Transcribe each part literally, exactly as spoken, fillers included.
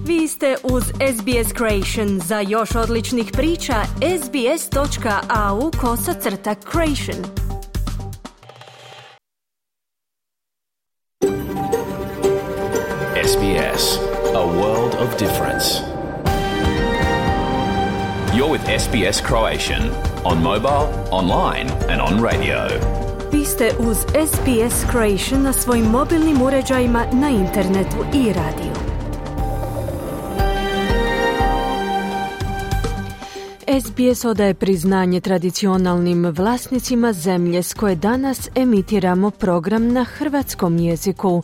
Vi ste uz S B S Creation. Za još odličnih priča, sbs.au kosacrta creation. S B S, a world of difference. You're with S B S Croatian on mobile, online and on radio. Vi ste uz S B S Creation na svojim mobilnim uređajima, na internetu i radiju. S B S odaje priznanje tradicionalnim vlasnicima zemlje s koje danas emitiramo program na hrvatskom jeziku.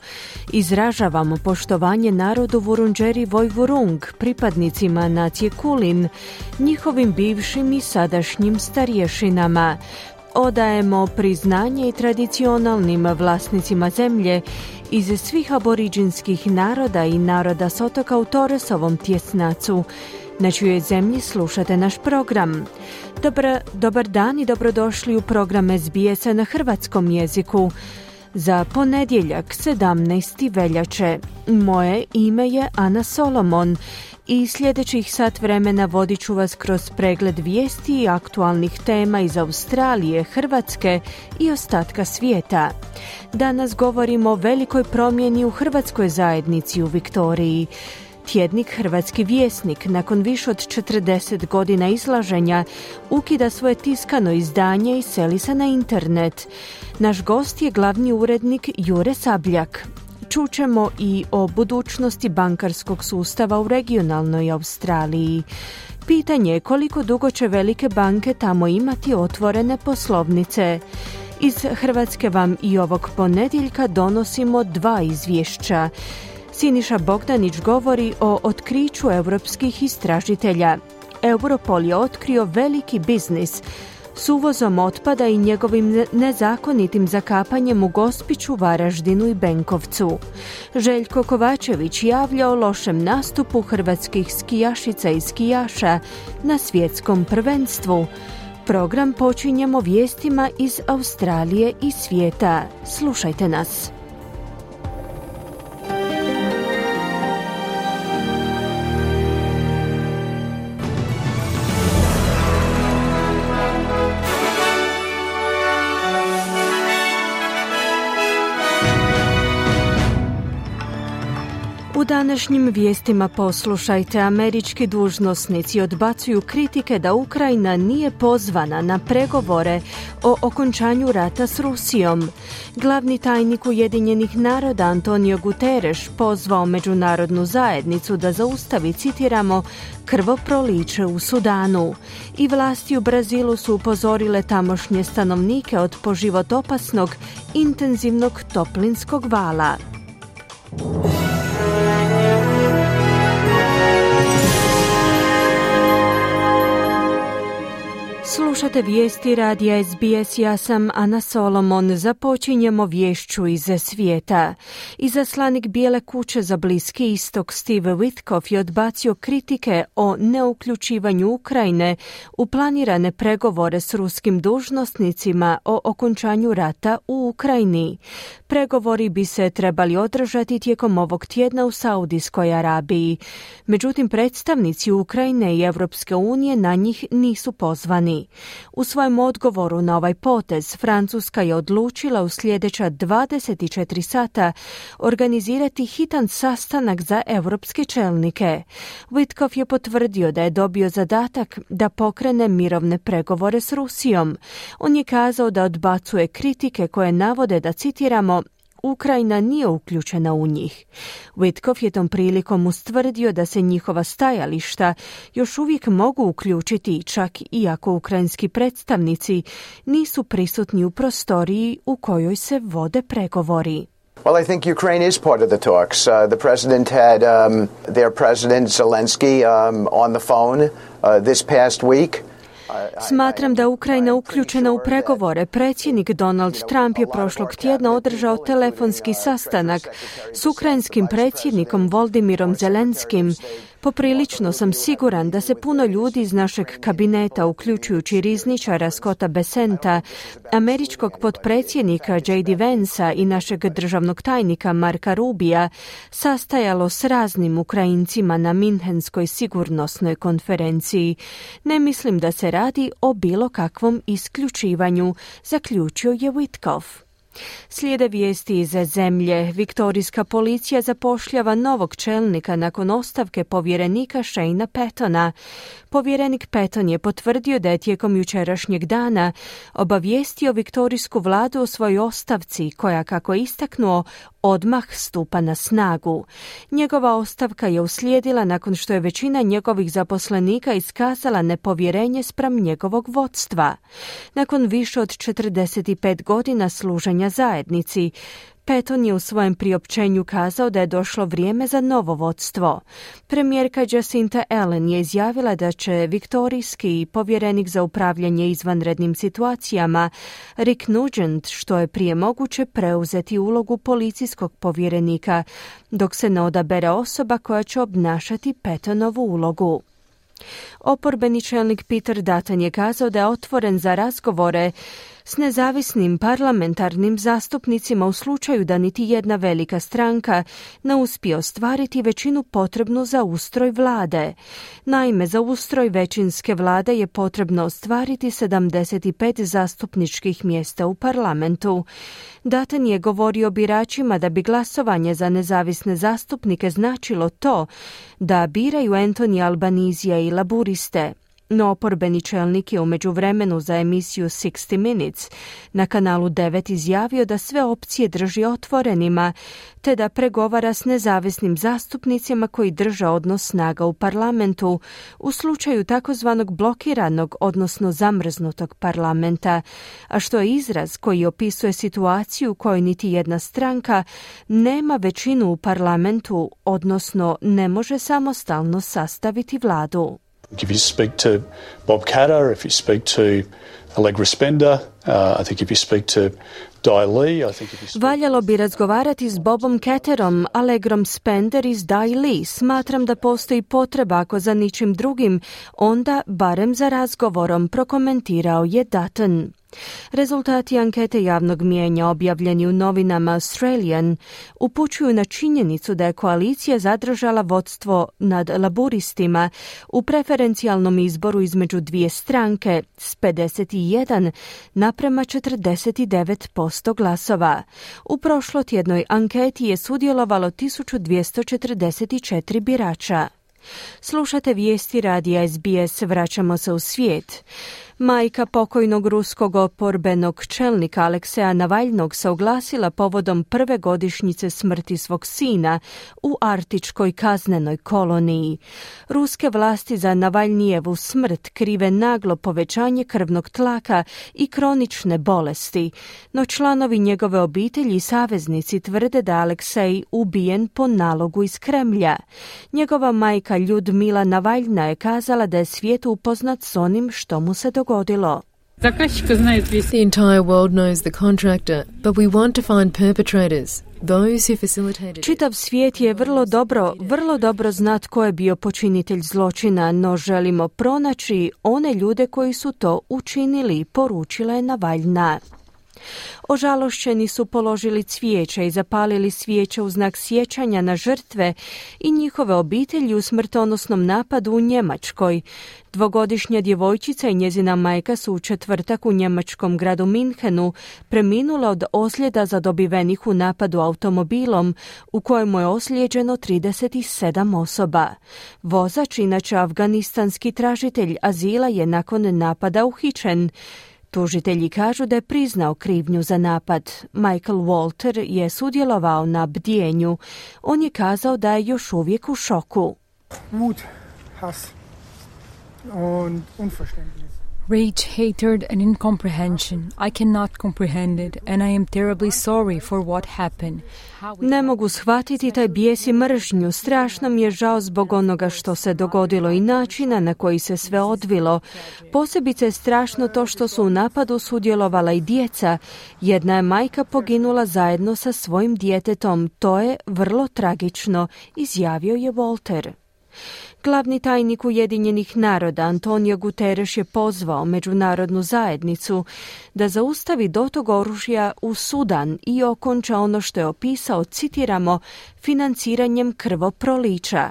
Izražavamo poštovanje narodu Vurundjeri Vojvurung, pripadnicima nacije Kulin, njihovim bivšim i sadašnjim starješinama. Odajemo priznanje i tradicionalnim vlasnicima zemlje iz svih aboriđinskih naroda i naroda s otoka u Torresovom tjesnacu, na čijoj zemlji slušate naš program. Dobar, dobar dan i dobrodošli u program S B S-a na hrvatskom jeziku. Za ponedjeljak, sedamnaestog veljače. Moje ime je Ana Solomon i sljedećih sat vremena vodit ću vas kroz pregled vijesti i aktualnih tema iz Australije, Hrvatske i ostatka svijeta. Danas govorimo o velikoj promjeni u hrvatskoj zajednici u Viktoriji. Tjednik Hrvatski vjesnik nakon više od četrdeset godina izlaženja ukida svoje tiskano izdanje i seli se na internet. Naš gost je glavni urednik Jure Sabljak. Čućemo i o budućnosti bankarskog sustava u regionalnoj Australiji. Pitanje je koliko dugo će velike banke tamo imati otvorene poslovnice. Iz Hrvatske vam i ovog ponedjeljka donosimo dva izvješća. Siniša Bogdanić govori o otkriću europskih istražitelja. Europol je otkrio veliki biznis s uvozom otpada i njegovim nezakonitim zakapanjem u Gospiću, Varaždinu i Benkovcu. Željko Kovačević javlja o lošem nastupu hrvatskih skijašica i skijaša na svjetskom prvenstvu. Program počinjemo vijestima iz Australije i svijeta. Slušajte nas. U današnjim vijestima poslušajte, američki dužnosnici odbacuju kritike da Ukrajina nije pozvana na pregovore o okončanju rata s Rusijom. Glavni tajnik Ujedinjenih naroda Antonio Guterres pozvao međunarodnu zajednicu da zaustavi, citiramo, krvoproliće u Sudanu. I vlasti u Brazilu su upozorile tamošnje stanovnike od po život opasnog intenzivnog toplinskog vala. Slušate vijesti radija S B S, ja sam Ana Solomon. Započinjemo vješću iz svijeta. Izaslanik Bijele kuće za Bliski istok Steve Witkoff je odbacio kritike o neuključivanju Ukrajine u planirane pregovore s ruskim dužnosnicima o okončanju rata u Ukrajini. Pregovori bi se trebali održati tijekom ovog tjedna u Saudijskoj Arabiji. Međutim, predstavnici Ukrajine i Europske unije na njih nisu pozvani. U svojem odgovoru na ovaj potez, Francuska je odlučila u sljedeća dvadeset četiri sata organizirati hitan sastanak za europske čelnike. Witkoff je potvrdio da je dobio zadatak da pokrene mirovne pregovore s Rusijom. On je kazao da odbacuje kritike koje navode da, citiramo, Ukrajina nije uključena u njih. Witkoff je tom prilikom ustvrdio da se njihova stajališta još uvijek mogu uključiti, čak i ako ukrajinski predstavnici nisu prisutni u prostoriji u kojoj se vode pregovori. Well, I think Ukraine is part of the talks. Uh, the president had um, their president Zelensky um, on the phone uh, this past week. Smatram da Ukrajina uključena u pregovore. Predsjednik Donald Trump je prošlog tjedna održao telefonski sastanak s ukrajinskim predsjednikom Voldimirom Zelenskim. Poprilično sam siguran da se puno ljudi iz našeg kabineta, uključujući rizničara Scotta Bessenta, američkog potpredsjednika J D Vansa i našeg državnog tajnika Marka Rubija, sastajalo s raznim Ukrajincima na Minhenskoj sigurnosnoj konferenciji. Ne mislim da se radi o bilo kakvom isključivanju, zaključio je Witkoff. Slijede vijesti iz zemlje. Viktorijska policija zapošljava novog čelnika nakon ostavke povjerenika Shane'a Pattona. Povjerenik Patton je potvrdio da je tijekom jučerašnjeg dana obavijestio viktorijsku vladu o svojoj ostavci, koja, kako je istaknuo, odmah stupa na snagu. Njegova ostavka je uslijedila nakon što je većina njegovih zaposlenika iskazala nepovjerenje spram njegovog vodstva. Nakon više od četrdeset pet godina služenja zajednici, Patton je u svojem priopćenju kazao da je došlo vrijeme za novo vodstvo. Premijerka Jacinta Allen je izjavila da će viktorijski povjerenik za upravljanje izvanrednim situacijama Rick Nugent što je prije moguće preuzeti ulogu policijskog povjerenika, dok se ne odabere osoba koja će obnašati Pattonovu ulogu. Oporbeni čelnik Peter Dutton je kazao da je otvoren za razgovore s nezavisnim parlamentarnim zastupnicima u slučaju da niti jedna velika stranka ne uspije ostvariti većinu potrebnu za ustroj vlade. Naime, za ustroj većinske vlade je potrebno ostvariti sedamdeset pet zastupničkih mjesta u parlamentu. Dutton je govorio biračima da bi glasovanje za nezavisne zastupnike značilo to da biraju Anthony Albanizija i laburiste. No oporbeni čelnik je u međuvremenu za emisiju sixty minutes na kanalu devet izjavio da sve opcije drži otvorenima, te da pregovara s nezavisnim zastupnicima koji drže odnos snaga u parlamentu u slučaju takozvanog blokiranog, odnosno zamrznutog parlamenta, a što je izraz koji opisuje situaciju u kojoj niti jedna stranka nema većinu u parlamentu, odnosno ne može samostalno sastaviti vladu. If you speak to Bob Katter, if you speak to Allegra Spender, uh, I think if you speak to Dai Li, I think if you speak... Valjalo bi razgovarati s Bobom Katterom, Allegrom Spender i Dai Li. Smatram da postoji potreba, ako za ničim drugim, onda barem za razgovorom, prokomentirao je Dutton. Rezultati ankete javnog mijenja objavljeni u novinama Australian upućuju na činjenicu da je koalicija zadržala vodstvo nad laburistima u preferencijalnom izboru između dvije stranke s pedeset jedan naprema četrdeset devet posto glasova. U prošlotjednoj anketi je sudjelovalo tisuću dvjesto četrdeset četiri birača. Slušate vijesti radija S B S, vraćamo se u svijet. Majka pokojnog ruskog oporbenog čelnika Alekseja Navalnog se oglasila povodom prve godišnjice smrti svog sina u arktičkoj kaznenoj koloniji. Ruske vlasti za Navalnijevu smrt krive naglo povećanje krvnog tlaka i kronične bolesti, no članovi njegove obitelji i saveznici tvrde da Aleksej ubijen po nalogu iz Kremlja. Njegova majka Ljudmila Navalna je kazala da je svijet upoznat s onim što mu se dogodilo. The entire world knows the contractor, but we want to find perpetrators, those who facilitated. Čitav svijet je vrlo dobro, vrlo dobro zna tko je bio počinitelj zločina, no želimo pronaći one ljude koji su to učinili, poručila je Navalna. Ožalošćeni su položili cvijeće i zapalili svijeće u znak sjećanja na žrtve i njihove obitelji u smrtonosnom napadu u Njemačkoj. Dvogodišnja djevojčica i njezina majka su u četvrtak u njemačkom gradu Minhenu preminula od ozljeda zadobivenih u napadu automobilom u kojemu je ozlijeđeno trideset sedam osoba. Vozač, inače afganistanski tražitelj azila, je nakon napada uhićen. Tužitelji kažu da je priznao krivnju za napad. Michael Walter je sudjelovao na bdjenju. On je kazao da je još uvijek u šoku. Wut, Hass und Unverständnis. Rage, hatred and incomprehension. I cannot comprehend it and I am terribly sorry for what happened. Ne mogu shvatiti taj bijes i mržnju. Strašno mi je žao zbog onoga što se dogodilo i načina na koji se sve odvilo. Posebice je strašno to što su u napadu sudjelovala i djeca. Jedna je majka poginula zajedno sa svojim djetetom. To je vrlo tragično, izjavio je Walter. Glavni tajnik Ujedinjenih naroda Antonio Guterres je pozvao međunarodnu zajednicu da zaustavi dotok oružja u Sudan i okonča ono što je opisao, citiramo, financiranjem krvoprolića.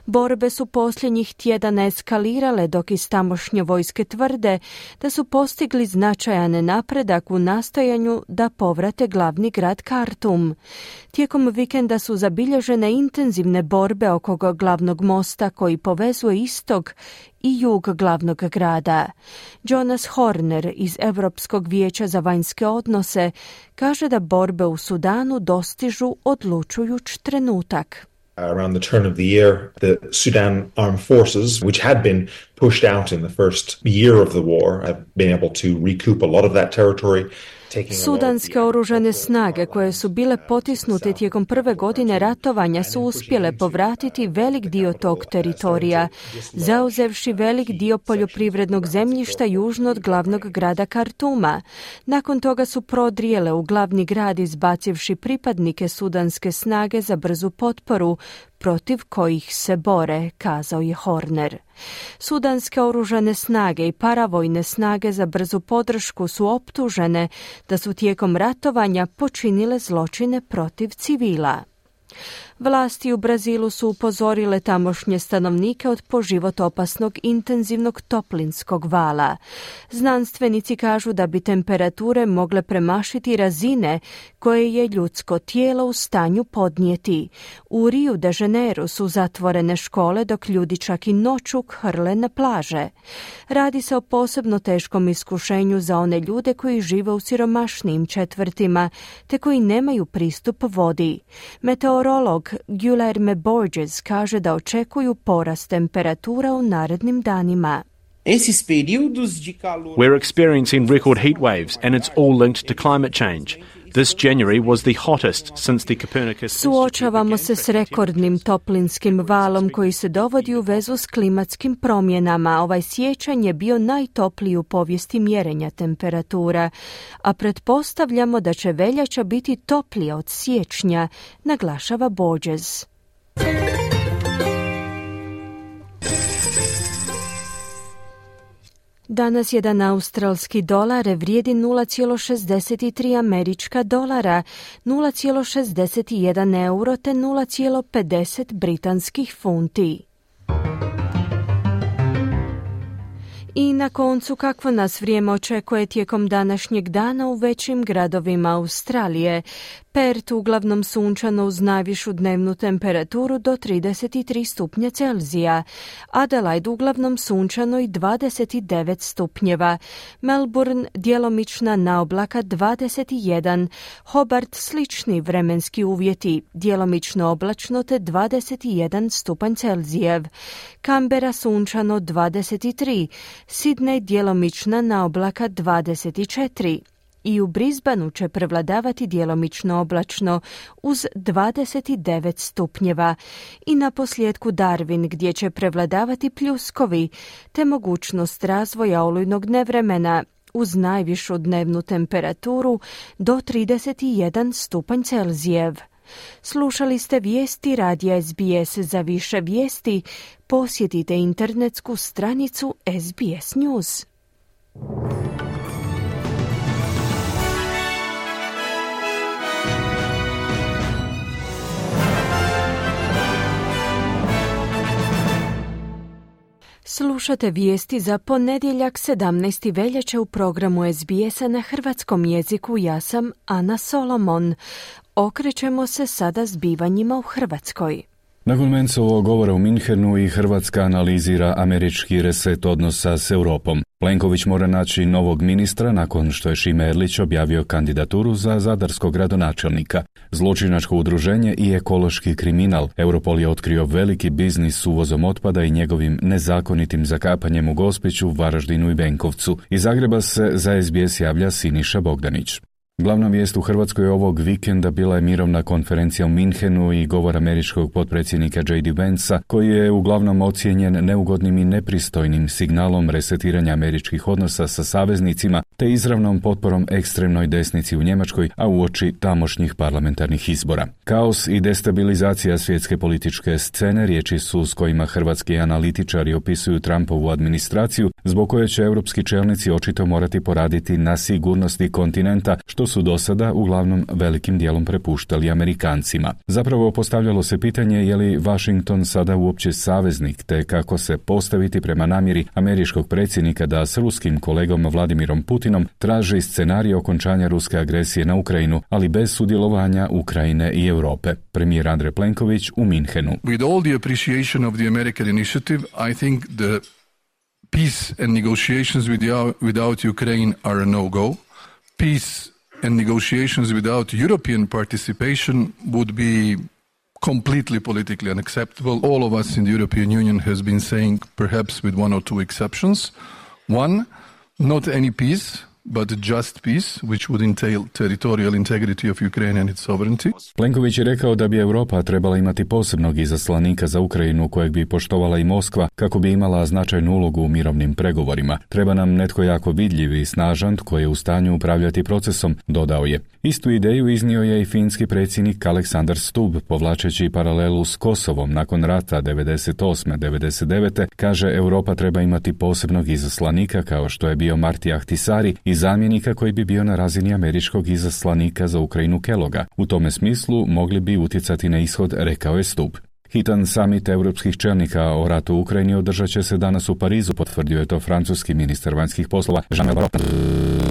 Borbe su posljednjih tjedana eskalirale dok iz tamošnje vojske tvrde da su postigli značajan napredak u nastojanju da povrate glavni grad Kartum. Tijekom vikenda su zabilježene intenzivne borbe oko glavnog mosta koji povezuje istok i jug glavnog grada. Jonas Horner iz Europskog vijeća za vanjske odnose kaže da borbe u Sudanu dostižu odlučujuć trenutak. Around the turn of the year, the Sudan armed forces, which had been pushed out in the first year of the war, have been able to recoup a lot of that territory. Sudanske oružane snage koje su bile potisnute tijekom prve godine ratovanja su uspjele povratiti velik dio tog teritorija, zauzevši velik dio poljoprivrednog zemljišta južno od glavnog grada Kartuma. Nakon toga su prodrijele u glavni grad izbacivši pripadnike sudanske snage za brzu potporu, protiv kojih se bore, kazao je Horner. Sudanske oružane snage i paravojne snage za brzu podršku su optužene da su tijekom ratovanja počinile zločine protiv civila. Vlasti u Brazilu su upozorile tamošnje stanovnike od po život opasnog intenzivnog toplinskog vala. Znanstvenici kažu da bi temperature mogle premašiti razine koje je ljudsko tijelo u stanju podnijeti. U Rio de Janeiro su zatvorene škole dok ljudi čak i noću hrle na plaže. Radi se o posebno teškom iskušenju za one ljude koji žive u siromašnijim četvrtima te koji nemaju pristup vodi. Meteorolog Guilherme Borges kaže da očekuju porast temperatura u narednim danima. We're experiencing record heat waves and it's all linked to climate change. This January was the hottest since the Copernicus. Suočavamo se s rekordnim toplinskim valom koji se dovodi u vezu s klimatskim promjenama. Ovaj siječanj je bio najtopliji u povijesti mjerenja temperatura, a pretpostavljamo da će veljača biti toplija od siječnja, naglašava Borges. Danas jedan australski dolar vrijedi nula zarez šezdeset tri američka dolara, nula zarez šezdeset jedan euro te nula zarez pedeset britanskih funti. I na koncu, kakvo nas vrijeme očekuje tijekom današnjeg dana u većim gradovima Australije. Perth uglavnom sunčano uz najvišu dnevnu temperaturu do trideset tri stupnja Celzija. Adelaide uglavnom sunčano i dvadeset devet stupnjeva. Melbourne djelomična naoblaka dvadeset jedan. Hobart slični vremenski uvjeti, djelomično oblačno te dvadeset jedan stupanj Celzijev. Canberra sunčano dvadeset tri. Sydney djelomična naoblaka dvadeset četiri. I u Brisbaneu će prevladavati djelomično oblačno uz dvadeset devet stupnjeva. I na posljedku Darwin gdje će prevladavati pljuskovi te mogućnost razvoja olujnog nevremena uz najvišu dnevnu temperaturu do trideset jedan stupanj Celzijev. Slušali ste vijesti radija S B S. Za više vijesti posjetite internetsku stranicu S B S News. Slušate vijesti za ponedjeljak sedamnaesti veljače u programu S B S-a na hrvatskom jeziku. Ja sam Ana Solomon. Okrećemo se sada zbivanjima u Hrvatskoj. Nakon Mencovog govora u Minhenu i Hrvatska analizira američki reset odnosa s Europom. Plenković mora naći novog ministra nakon što je Šime Erlić objavio kandidaturu za zadarskog gradonačelnika. Zločinačko udruženje i ekološki kriminal. Europol je otkrio veliki biznis s uvozom otpada i njegovim nezakonitim zakapanjem u Gospiću, Varaždinu i Benkovcu. Iz Zagreba se za S B S javlja Siniša Bogdanić. Glavna vijest u Hrvatskoj ovog vikenda bila je mirovna konferencija u Minhenu i govor američkog potpredsjednika J D Vansa, koji je uglavnom ocijenjen neugodnim i nepristojnim signalom resetiranja američkih odnosa sa saveznicima te izravnom potporom ekstremnoj desnici u Njemačkoj, a uoči tamošnjih parlamentarnih izbora. Kaos i destabilizacija svjetske političke scene riječi su s kojima hrvatski analitičari opisuju Trumpovu administraciju, zbog koje će europski čelnici očito morati poraditi na sigurnosti kontinenta, što su do sada uglavnom velikim dijelom prepuštali Amerikancima. Zapravo postavljalo se pitanje je li Washington sada uopće saveznik, te kako se postaviti prema namjeri američkog predsjednika da s ruskim kolegom Vladimirom Putinom traži scenarij okončanja ruske agresije na Ukrajinu, ali bez sudjelovanja Ukrajine i Europe. Premijer Andrej Plenković u Minhenu. With all the appreciation of the American initiative, I think the peace and negotiations without, without Ukraine are a no-go. Peace and negotiations without European participation would be completely politically unacceptable. All of us in the European Union has been saying, perhaps with one or two exceptions. One, not any peace, but just peace, which would entail territorial integrity of Ukraine and its sovereignty. Plenković je rekao da bi Europa trebala imati posebnog izaslanika za Ukrajinu kojeg bi poštovala i Moskva kako bi imala značajnu ulogu u mirovnim pregovorima. Treba nam netko jako vidljiv i snažan koji je u stanju upravljati procesom, dodao je. Istu ideju iznio je i finski predsjednik Aleksandar Stubb, povlačeći paralelu s Kosovom nakon rata devedeset osme devedeset devete Kaže, Europa treba imati posebnog izaslanika kao što je bio Marti Ahtisaari i zamjenika koji bi bio na razini američkog izaslanika za Ukrajinu Kelloga. U tome smislu mogli bi utjecati na ishod, rekao je Stubb. Hitan samit europskih čelnika o ratu u Ukrajini održat će se danas u Parizu, potvrdio je to francuski ministar vanjskih poslova Jean-Noël Barrot.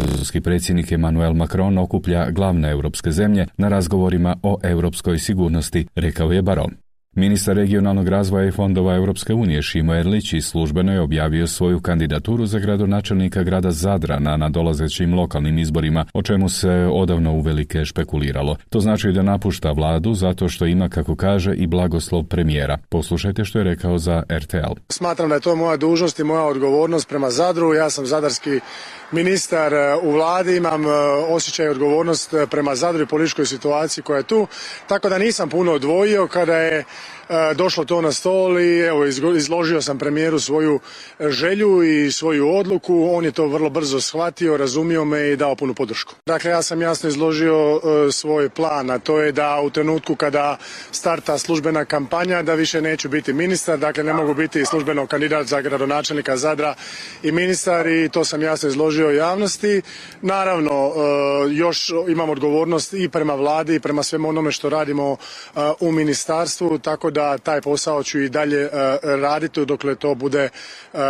Francuski predsjednik Emmanuel Macron okuplja glavne europske zemlje na razgovorima o europskoj sigurnosti, rekao je Barrot. Ministar regionalnog razvoja i fondova Europske unije Šimo Erlić službeno je objavio svoju kandidaturu za gradonačelnika grada Zadra na nadolazećim lokalnim izborima, o čemu se odavno uvelike špekuliralo. To znači da napušta vladu zato što ima, kako kaže, i blagoslov premijera. Poslušajte što je rekao za R T L. Smatram da je to moja dužnost i moja odgovornost prema Zadru. Ja sam zadarski ministar u vladi, imam osjećaj i odgovornost prema Zadru i političkoj situaciji koja je tu, tako da nisam puno odvojio kada je došlo to na stol i evo izložio sam premijeru svoju želju i svoju odluku. On je to vrlo brzo shvatio, razumio me i dao punu podršku. Dakle, ja sam jasno izložio svoj plan, a to je da u trenutku kada starta službena kampanja da više neću biti ministar, dakle ne mogu biti službeno kandidat za gradonačelnika Zadra i ministar, i to sam jasno izložio javnosti. Naravno, još imam odgovornost i prema vladi i prema svemu onome što radimo u ministarstvu, tako da taj posao ću i dalje uh, raditi dokle to bude uh,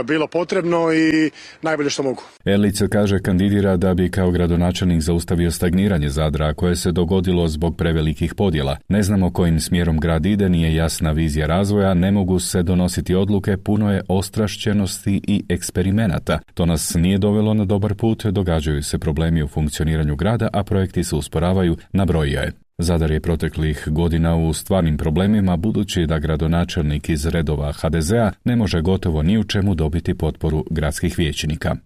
bilo potrebno i najbolje što mogu. Erlić kaže kandidira da bi kao gradonačelnik zaustavio stagniranje Zadra koje se dogodilo zbog prevelikih podjela. Ne znamo kojim smjerom grad ide, nije jasna vizija razvoja, ne mogu se donositi odluke, puno je ostrašćenosti i eksperimenata. To nas nije dovelo na dobar put, događaju se problemi u funkcioniranju grada, a projekti se usporavaju, nabrojio je. Zadar je proteklih godina u stvarnim problemima budući da gradonačelnik iz redova H D Z-a ne može gotovo ni u čemu dobiti potporu gradskih vijećnika.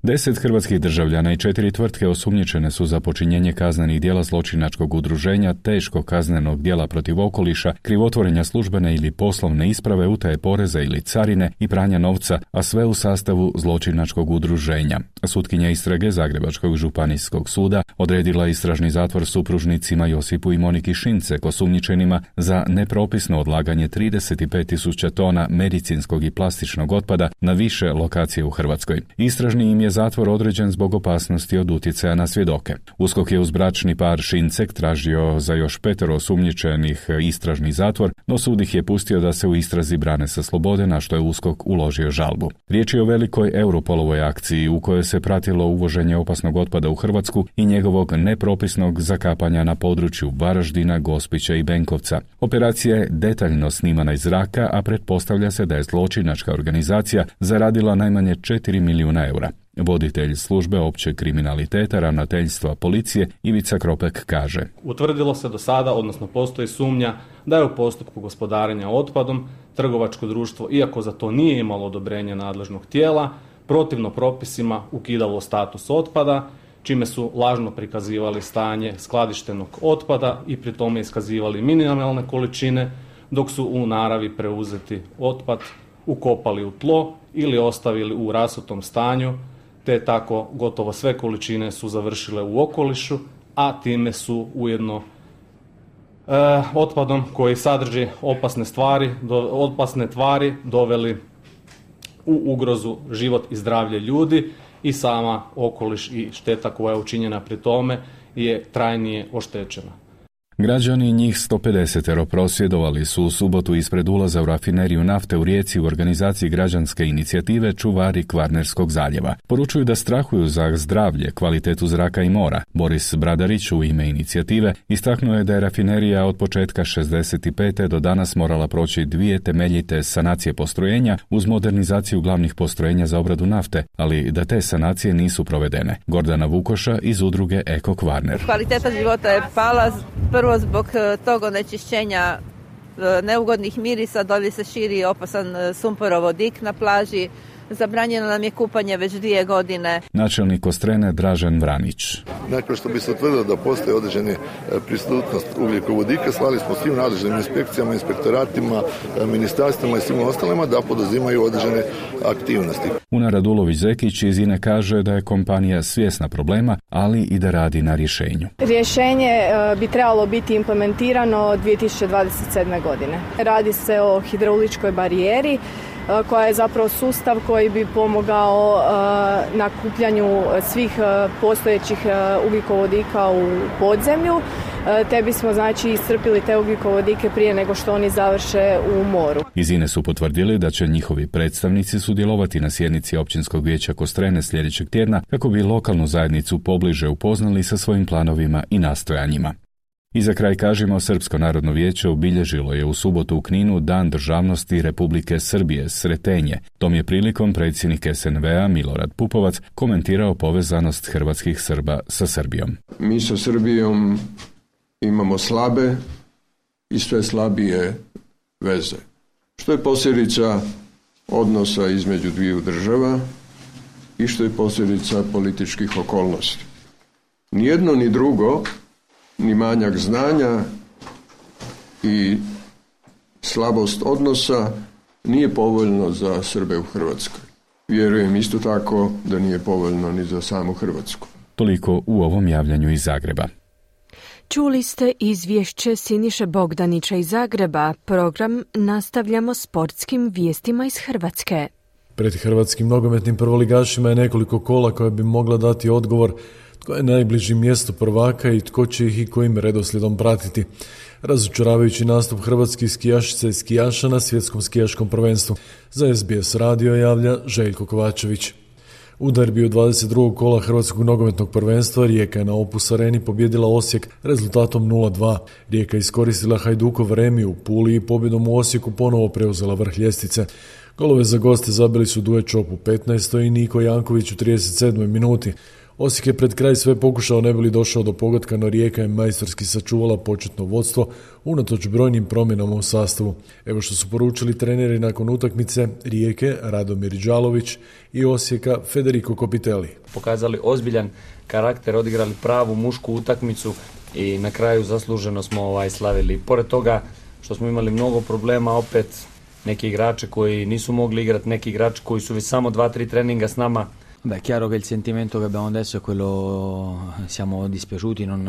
Deset hrvatskih državljana i četiri tvrtke osumnjičene su za počinjenje kaznenih djela zločinačkog udruženja, teškog kaznenog djela protiv okoliša, krivotvorenja službene ili poslovne isprave, utaje poreza ili carine i pranja novca, a sve u sastavu zločinačkog udruženja. Sutkinja istrage Zagrebačkog županijskog suda odredila istražni zatvor supružnicima Josipu i Moniki Šincek, osumnjičenima za nepropisno odlaganje trideset pet tisuća tona medicinskog i plastičnog otpada na više lokacije u Hrvatskoj. Istražni im je zatvor određen zbog opasnosti od utjecaja na svjedoke. USKOK je uz bračni par Šincek tražio za još petero osumnjičenih istražni zatvor, no sud ih je pustio da se u istrazi brane sa slobode, na što je USKOK uložio žalbu. Riječ je o velikoj Europolovoj akciji u kojoj se pratilo uvoženje opasnog otpada u Hrvatsku i njegovog nepropisnog zakapanja na području Varaždina, Gospića i Benkovca. Operacija je detaljno snimana iz zraka, a pretpostavlja se da je zločinačka organizacija zaradila najmanje četiri milijuna eura. Voditelj službe općeg kriminaliteta ravnateljstva policije Ivica Kropek kaže: Utvrdilo se do sada, odnosno postoji sumnja da je u postupku gospodarenja otpadom trgovačko društvo, iako za to nije imalo odobrenje nadležnog tijela, protivno propisima ukidalo status otpada čime su lažno prikazivali stanje skladištenog otpada i pri tome iskazivali minimalne količine, dok su u naravi preuzeti otpad ukopali u tlo ili ostavili u rasutom stanju, te tako gotovo sve količine su završile u okolišu, a time su ujedno e, otpadom koji sadrži opasne stvari, do, opasne tvari doveli u ugrozu život i zdravlje ljudi i sama okoliš i šteta koja je učinjena pri tome je trajnije oštećena. Građani, njih sto pedeset prosvjedovali su u subotu ispred ulaza u rafineriju nafte u Rijeci u organizaciji građanske inicijative Čuvari Kvarnerskog zaljeva. Poručuju da strahuju za zdravlje, kvalitetu zraka i mora. Boris Bradarić u ime inicijative istaknuo je da je rafinerija od početka šezdeset pete do danas morala proći dvije temeljite sanacije postrojenja uz modernizaciju glavnih postrojenja za obradu nafte, ali da te sanacije nisu provedene. Gordana Vukoša iz udruge Eko Kvarner. Kvaliteta života je pala prvo zbog tog onečišćenja neugodnih mirisa, dolje se širi opasan sumporovodik na plaži, zabranjeno nam je kupanje već dvije godine. Načelnik Kostrene Dražen Vranić. Nakon što bi se utvrdilo da postoji određeni prisutnost ugljikovodika, slali smo svim nadležnim inspekcijama, inspektoratima, ministarstvima i svim ostalima da poduzimaju određene aktivnosti. Una Radulović-Zekić iz INE kaže da je kompanija svjesna problema, ali i da radi na rješenju. Rješenje bi trebalo biti implementirano dvije tisuće dvadeset sedme. godine. Radi se o hidrauličkoj barijeri koja je zapravo sustav koji bi pomogao uh, nakupljanju svih uh, postojećih uh, ugljikovodika u podzemlju, uh, te bismo znači iscrpili te ugljikovodike prije nego što oni završe u moru. Iz INE su potvrdili da će njihovi predstavnici sudjelovati na sjednici Općinskog vijeća Kostrene sljedećeg tjedna kako bi lokalnu zajednicu pobliže upoznali sa svojim planovima i nastojanjima. I za kraj kažemo, Srpsko narodno vijeće obilježilo je u subotu u Kninu Dan državnosti Republike Srbije, Sretenje. Tom je prilikom predsjednik es en ve a Milorad Pupovac komentirao povezanost hrvatskih Srba sa Srbijom. Mi sa Srbijom imamo slabe i sve slabije veze, što je posljedica odnosa između dviju država i što je posljedica političkih okolnosti. Ni jedno ni drugo, ni manjak znanja i slabost odnosa nije povoljno za Srbe u Hrvatskoj. Vjerujem isto tako da nije povoljno ni za samu Hrvatsku. Toliko u ovom javljanju iz Zagreba. Čuli ste izvješće Siniše Bogdanića iz Zagreba. Program nastavljamo sportskim vijestima iz Hrvatske. Pred hrvatskim nogometnim prvoligašima je nekoliko kola koje bi mogla dati odgovor tko je najbliži mjestu prvaka i tko će ih i kojim redoslijedom pratiti. Razočaravajući nastup hrvatskih skijašica i skijaša na svjetskom skijaškom prvenstvu. Za es be es radio javlja Željko Kovačević. U derbiju dvadeset drugog kola hrvatskog nogometnog prvenstva Rijeka je na Opus Areni pobjedila Osijek rezultatom nula dva. Rijeka iskoristila Hajdukov remi u Puli i pobjedom u Osijeku ponovo preuzela vrh ljestvice. Golove za goste zabili su Duje Čop u petnaestoj i Niko Janković u trideset sedmoj minuti. Osijek je pred kraj sve pokušao, ne bi li došao do pogotka, no Rijeka je majstorski sačuvala početno vodstvo unatoč brojnim promjenama u sastavu. Evo što su poručili treneri nakon utakmice Rijeke, Radomir Đalović i Osijeka, Federico Copitelli. Pokazali ozbiljan karakter, odigrali pravu mušku utakmicu i na kraju zasluženo smo ovaj slavili. Pored toga što smo imali mnogo problema, opet neki igrači koji nisu mogli igrati, neki igrači koji su već samo dva tri treninga s nama. Beh, è chiaro che il sentimento che abbiamo adesso è quello, siamo dispiaciuti, non,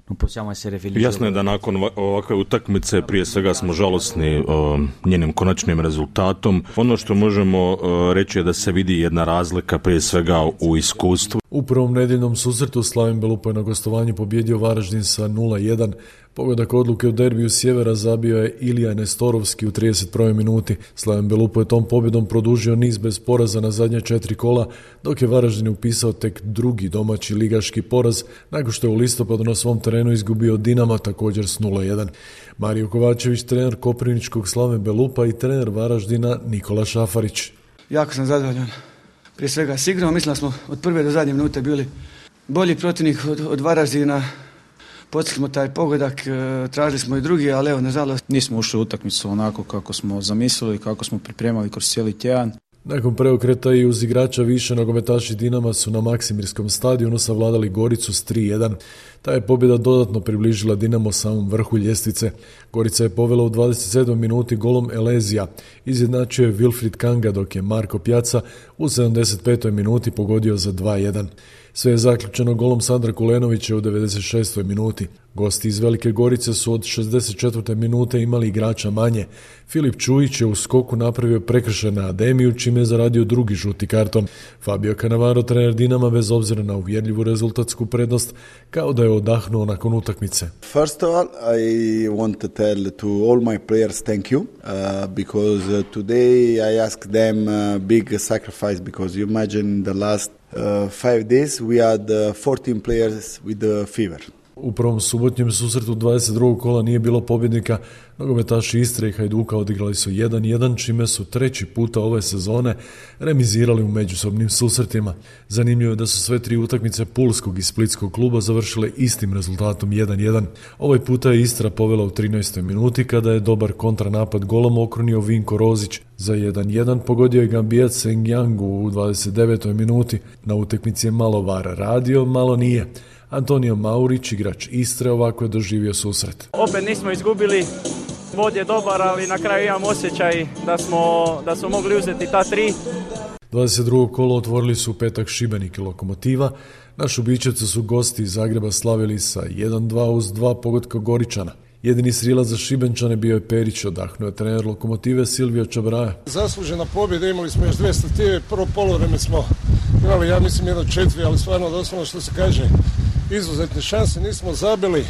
non possiamo essere felici. Jasno je da nakon ovakve utakmice prije svega smo žalosni o njenim konačnim rezultatom. Ono što možemo reći je da se vidi jedna razlika prije svega u iskustvu. U prvom nedjeljnom susretu Slaven Belupo je na gostovanju pobjedio Varaždin sa nula jedan. Pogodak odluke u derbiju sjevera zabio je Ilija Nestorovski u trideset prvoj minuti. Slaven Belupo je tom pobjedom produžio niz bez poraza na zadnje četiri kola, dok je Varaždin upisao tek drugi domaći ligaški poraz, nakon što je u listopadu na svom terenu izgubio Dinama također s nula jedan. Mario Kovačević, trener koprivničkog Slaven Belupa i trener Varaždina Nikola Šafarić. Jako sam zadovoljan. Prije svega sigurno, mislim da smo od prve do zadnje minute bili bolji protivnik od, od Varaždina. Postigli smo taj pogodak, tražili smo i drugi, ali evo, nažalost. Nismo ušli u utakmicu onako kako smo zamislili, kako smo pripremali kroz cijeli tjedan. Nakon preokreta i uz igrača više, nogometaši Dinama su na Maksimirskom stadionu savladali Goricu s tri jedan. Ta je pobjeda dodatno približila Dinamo samom vrhu ljestvice. Gorica je povela u dvadeset sedmoj minuti golom Elezija. Izjednačio je Wilfried Kanga, dok je Marko Pjaca u sedamdeset petoj minuti pogodio za dva jedan. Sve je zaključeno golom Sandra Kulenovića u devedeset šestoj minuti. Gosti iz Velike Gorice su od šezdeset četvrte minute imali igrača manje. Filip Čujić je u skoku napravio prekršaj na Ademiju, čime je zaradio drugi žuti karton. Fabio Cannavaro, trener Dinama, bez obzira na uvjerljivu rezultatsku prednost, kao da je odahnuo nakon utakmice. First of all, I want to tell to all my players thank you, uh, because uh, today I asked them a big sacrifice, because you imagine the last uh, five days we had uh, fourteen players with the fever. U prvom subotnjem susretu dvadeset drugog kola nije bilo pobjednika. Nogometaši Istre i Hajduka odigrali su jedan jedan, čime su treći puta ove sezone remizirali u međusobnim susretima. Zanimljivo je da su sve tri utakmice pulskog i splitskog kluba završile istim rezultatom jedan jedan. Ovaj puta je Istra povela u trinaestoj minuti kada je dobar kontranapad golom okrunio Vinko Rozić. Za jedan jedan pogodio je Gambijac Sengjangu u dvadeset devetoj minuti. Na utakmici je malo VAR radio, malo nije. Antonio Maurić, igrač Istre, ovako je doživio susret. Opet nismo izgubili, vod je dobar, ali na kraju imam osjećaj da smo, da smo mogli uzeti ta tri. dvadeset drugo kolo otvorili su u petak Šibenik i Lokomotiva. Na Šubićevcu su gosti iz Zagreba slavili sa jedan dva uz dva pogotka Goričana. Jedini srilac za Šibenčane bio je Perić, odahnuo je trener Lokomotive Silvio Čabraja. Zaslužena pobjeda, imali smo još dvije stative, prvo poluvreme smo imali, ja mislim, jedno četiri, ali stvarno doslovno što se kaže, izuzetne šanse, nismo zabili,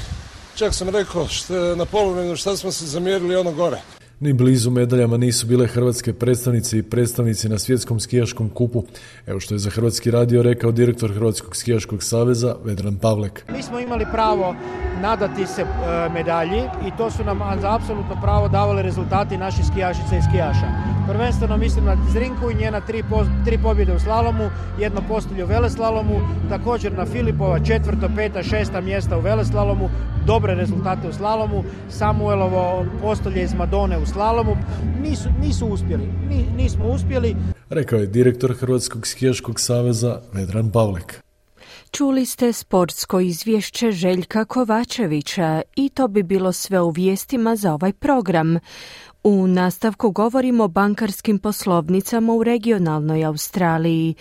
čak sam rekao što, na poluvremenu šta smo se zamjerili ono gore. Ni blizu medaljama nisu bile hrvatske predstavnice i predstavnici na svjetskom skijaškom kupu. Evo što je za Hrvatski radio rekao direktor Hrvatskog skijaškog saveza Vedran Pavlek. Mi smo imali pravo nadati se e, medalji i to su nam za apsolutno pravo davali rezultati naših skijašica i skijaša. Prvenstveno mislim na Zrinku i njena tri, po, tri pobjede u slalomu, jedno postolje u veleslalomu, također na Filipova četvrto, peta, šesta mjesta u veleslalomu, dobre rezultate u slalomu, Samuelovo postolje iz Madone u slalomu, nisu, nisu uspjeli, Ni, nismo uspjeli. Rekao je direktor Hrvatskog skijaškog saveza Vedran Pavlek. Čuli ste sportsko izvješće Željka Kovačevića i to bi bilo sve u vijestima za ovaj program. U nastavku govorimo o bankarskim poslovnicama u regionalnoj Australiji,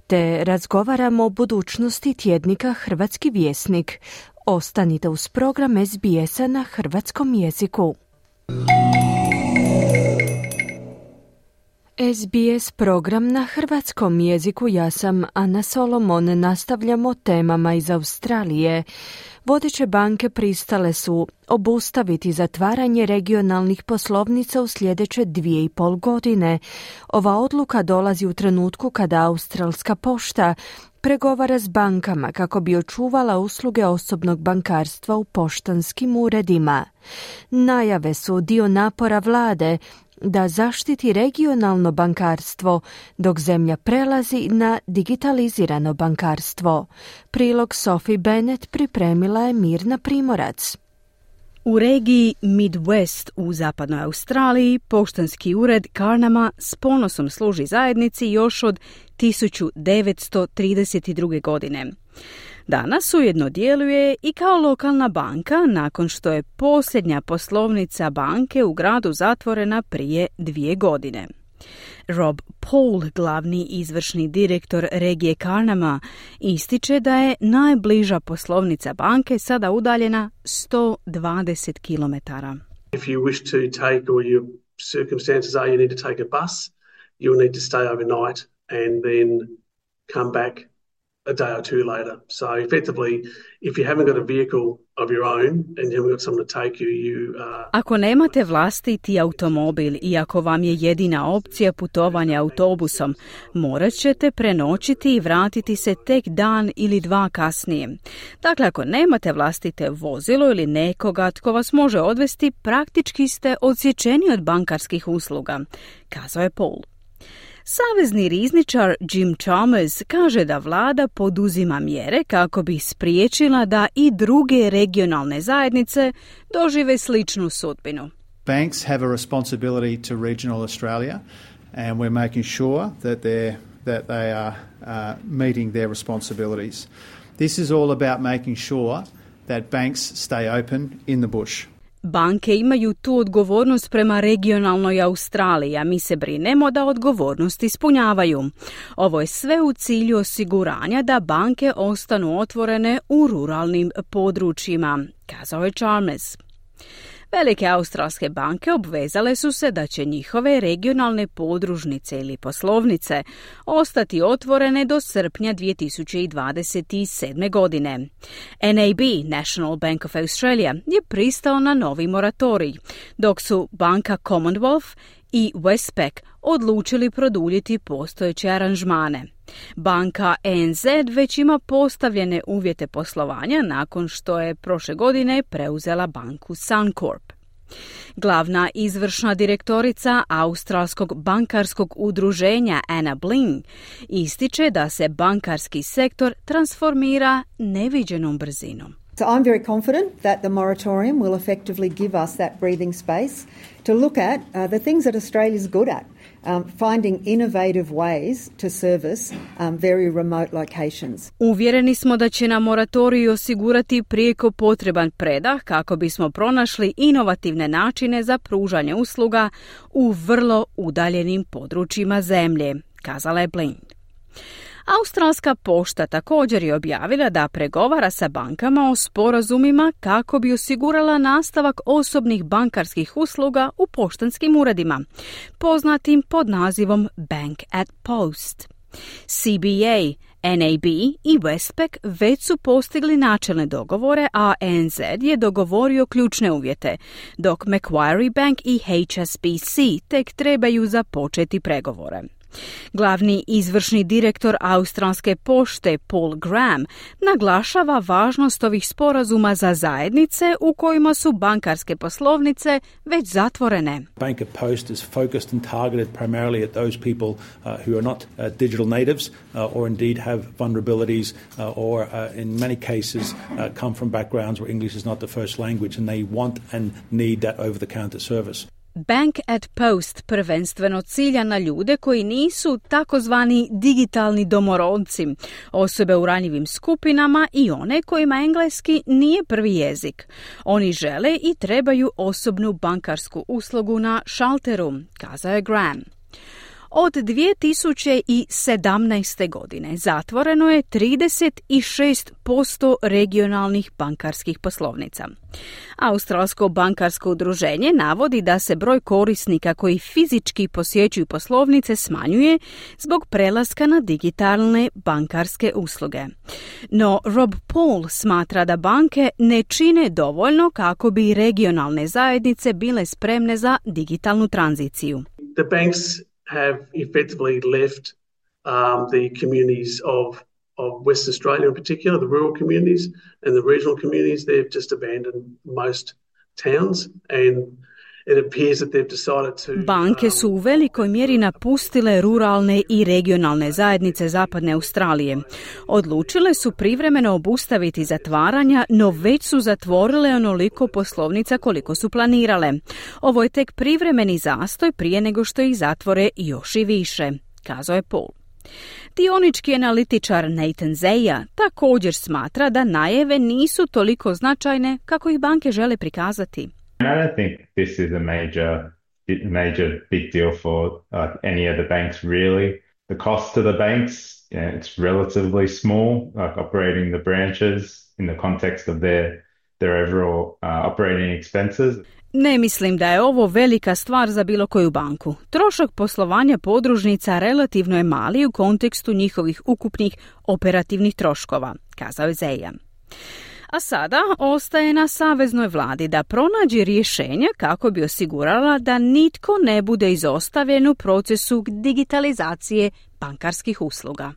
te razgovaramo o budućnosti tjednika Hrvatski vjesnik. Ostanite uz program S B S-a na hrvatskom jeziku. S B S program na hrvatskom jeziku, ja sam Ana Solomon, nastavljamo temama iz Australije. Vodeće banke pristale su obustaviti zatvaranje regionalnih poslovnica u sljedeće dvije i pol godine. Ova odluka dolazi u trenutku kada Australska pošta pregovara s bankama kako bi očuvala usluge osobnog bankarstva u poštanskim uredima. Najave su dio napora vlade da zaštiti regionalno bankarstvo, dok zemlja prelazi na digitalizirano bankarstvo. Prilog Sophie Bennett pripremila je Mirna Primorac. U regiji Midwest u zapadnoj Australiji poštanski ured Carnama s ponosom služi zajednici još od tisuću devetsto trideset druge. godine. Danas ujedno djeluje i kao lokalna banka nakon što je posljednja poslovnica banke u gradu zatvorena prije dvije godine. Rob Paul, glavni izvršni direktor regije Carnama, ističe da je najbliža poslovnica banke sada udaljena sto dvadeset kilometara. If you wish to take, or your circumstances are you need to take a bus, you'll need to stay overnight and then come back a day or two later. So effectively, if you haven't got a vehicle of your own and you haven't got someone to take you, you uh... Ako nemate vlastiti automobil i ako vam je jedina opcija putovanja autobusom, morat ćete prenoćiti i vratiti se tek dan ili dva kasnije. Dakle, ako nemate vlastite vozilo ili nekoga tko vas može odvesti, praktički ste odsječeni od bankarskih usluga, kazao je Paul. Savezni rizničar Jim Chalmers kaže da vlada poduzima mjere kako bi spriječila da i druge regionalne zajednice dožive sličnu sudbinu. Banks have a responsibility to regional Australia and we're making sure that they're that they are uh, meeting their responsibilities. This is all about making sure that banks stay open in the bush. Banke imaju tu odgovornost prema regionalnoj Australiji, a mi se brinemo da odgovornost ispunjavaju. Ovo je sve u cilju osiguranja da banke ostanu otvorene u ruralnim područjima, kazao je Chalmers. Velike australske banke obvezale su se da će njihove regionalne podružnice ili poslovnice ostati otvorene do srpnja dvije tisuće dvadeset sedme. godine. N A B, National Bank of Australia, je pristao na novi moratorij, dok su banka Commonwealth i Westpac odlučili produljiti postojeće aranžmane. Banka A N Z već ima postavljene uvjete poslovanja nakon što je prošle godine preuzela banku Suncorp. Glavna izvršna direktorica Australskog bankarskog udruženja Anna Bling ističe da se bankarski sektor transformira neviđenom brzinom. So I'm very confident that the moratorium will effectively give us that breathing space to look at uh, the things that Australia's good at, um, finding innovative ways to service um, very remote locations. Uvjereni smo da će nam moratorij osigurati prijeko potreban predah kako bismo pronašli inovativne načine za pružanje usluga u vrlo udaljenim područjima zemlje, kazala je Blind. Australska pošta također je objavila da pregovara sa bankama o sporazumima kako bi osigurala nastavak osobnih bankarskih usluga u poštanskim uredima, poznatim pod nazivom Bank at Post. C B A, N A B i Westpac već su postigli načelne dogovore, a A N Z je dogovorio ključne uvjete, dok Macquarie Bank i H S B C tek trebaju započeti pregovore. Glavni izvršni direktor Australske pošte Paul Graham naglašava važnost ovih sporazuma za zajednice u kojima su bankarske poslovnice već zatvorene. Bank at Post is focused and targeted primarily at those people uh, who are not uh, digital natives uh, or indeed have vulnerabilities uh, or uh, in many cases uh, come from backgrounds where English is not the first language and they want and need that over-the-counter service. Bank at Post prvenstveno cilja na ljude koji nisu takozvani digitalni domorodci, osobe u ranjivim skupinama i one kojima engleski nije prvi jezik. Oni žele i trebaju osobnu bankarsku uslugu na šalteru, kazao je Graham. Od dvije tisuće sedamnaeste. godine zatvoreno je trideset šest posto regionalnih bankarskih poslovnica. Australsko bankarsko udruženje navodi da se broj korisnika koji fizički posjećuju poslovnice smanjuje zbog prelaska na digitalne bankarske usluge. No Rob Paul smatra da banke ne čine dovoljno kako bi regionalne zajednice bile spremne za digitalnu tranziciju. The banks have effectively left um, the communities of, of Western Australia in particular, the rural communities and the regional communities. They've just abandoned most towns and it appears that they've decided to... Banke su u velikoj mjeri napustile ruralne i regionalne zajednice zapadne Australije. Odlučile su privremeno obustaviti zatvaranja, no već su zatvorile onoliko poslovnica koliko su planirale. Ovo je tek privremeni zastoj prije nego što ih zatvore još i više, kazao je Paul. Dionički analitičar Nathan Zeya također smatra da najave nisu toliko značajne kako ih banke žele prikazati. I don't think this is a major, major big deal for uh, any of the banks, really. The cost to the banks, you know, it's relatively small, like operating the branches in the context of their, their overall uh, operating expenses. Ne mislim da je ovo velika stvar za bilo koju banku. Trošak poslovanja podružnica relativno je mali u kontekstu njihovih ukupnih operativnih troškova, kazao je Zeya. A sada ostaje na saveznoj vladi da pronađe rješenje kako bi osigurala da nitko ne bude izostavljen u procesu digitalizacije bankarskih usluga.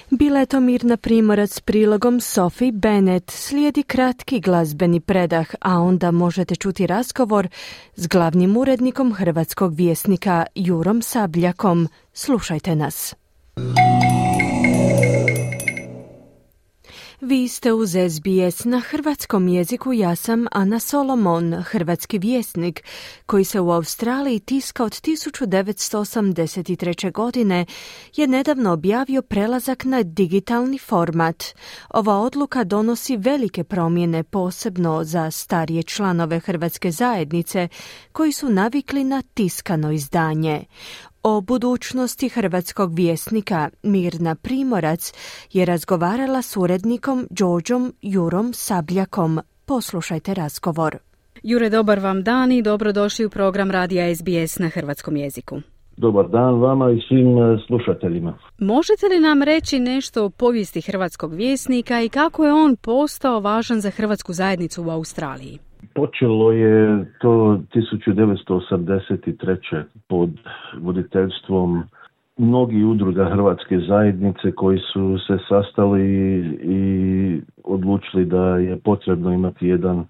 Bila je to Mirna Primorac s prilogom Sophie Bennett. Slijedi kratki glazbeni predah, a onda možete čuti razgovor s glavnim urednikom Hrvatskog vjesnika Jurom Sabljakom. Slušajte nas. Vi ste uz S B S na hrvatskom jeziku. Ja sam Ana Solomon, hrvatski vjesnik koji se u Australiji tiska od tisuću devetsto osamdeset treće. godine je nedavno objavio prelazak na digitalni format. Ova odluka donosi velike promjene, posebno za starije članove hrvatske zajednice koji su navikli na tiskano izdanje. O budućnosti hrvatskog vjesnika Mirna Primorac je razgovarala s urednikom Đorđom Jurom Sabljakom. Poslušajte razgovor. Jure, dobar vam dan i dobrodošli u program radija S B S na hrvatskom jeziku. Dobar dan vama i svim slušateljima. Možete li nam reći nešto o povijesti hrvatskog vjesnika i kako je on postao važan za hrvatsku zajednicu u Australiji? Počelo je to tisuću devetsto osamdeset treće. pod voditeljstvom mnogih udruga hrvatske zajednice koji su se sastali i odlučili da je potrebno imati jedan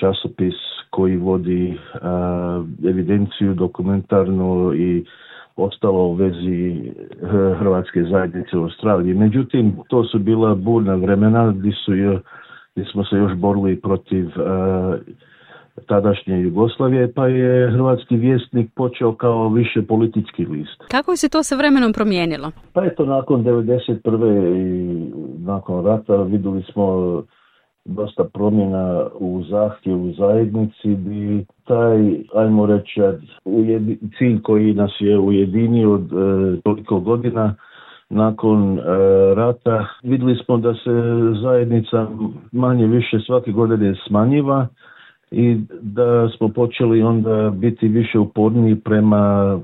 časopis koji vodi a, evidenciju dokumentarno i ostalo u vezi hrvatske zajednice u Australiji. Međutim, to su bila burna vremena gdje su je gdje smo se još borili protiv a, tadašnje Jugoslavije, pa je hrvatski vjesnik počeo kao više politički list. Kako je se to sa vremenom promijenilo? Pa eto, nakon devedeset prve i nakon rata vidjeli smo dosta promjena u zahtjevu zajednici, bi taj, ajmo reći, ujedi, cilj koji nas je ujedinio od e, toliko godina nakon e, rata, vidjeli smo da se zajednica manje više svake godine smanjiva i da smo počeli onda biti više uporniji prema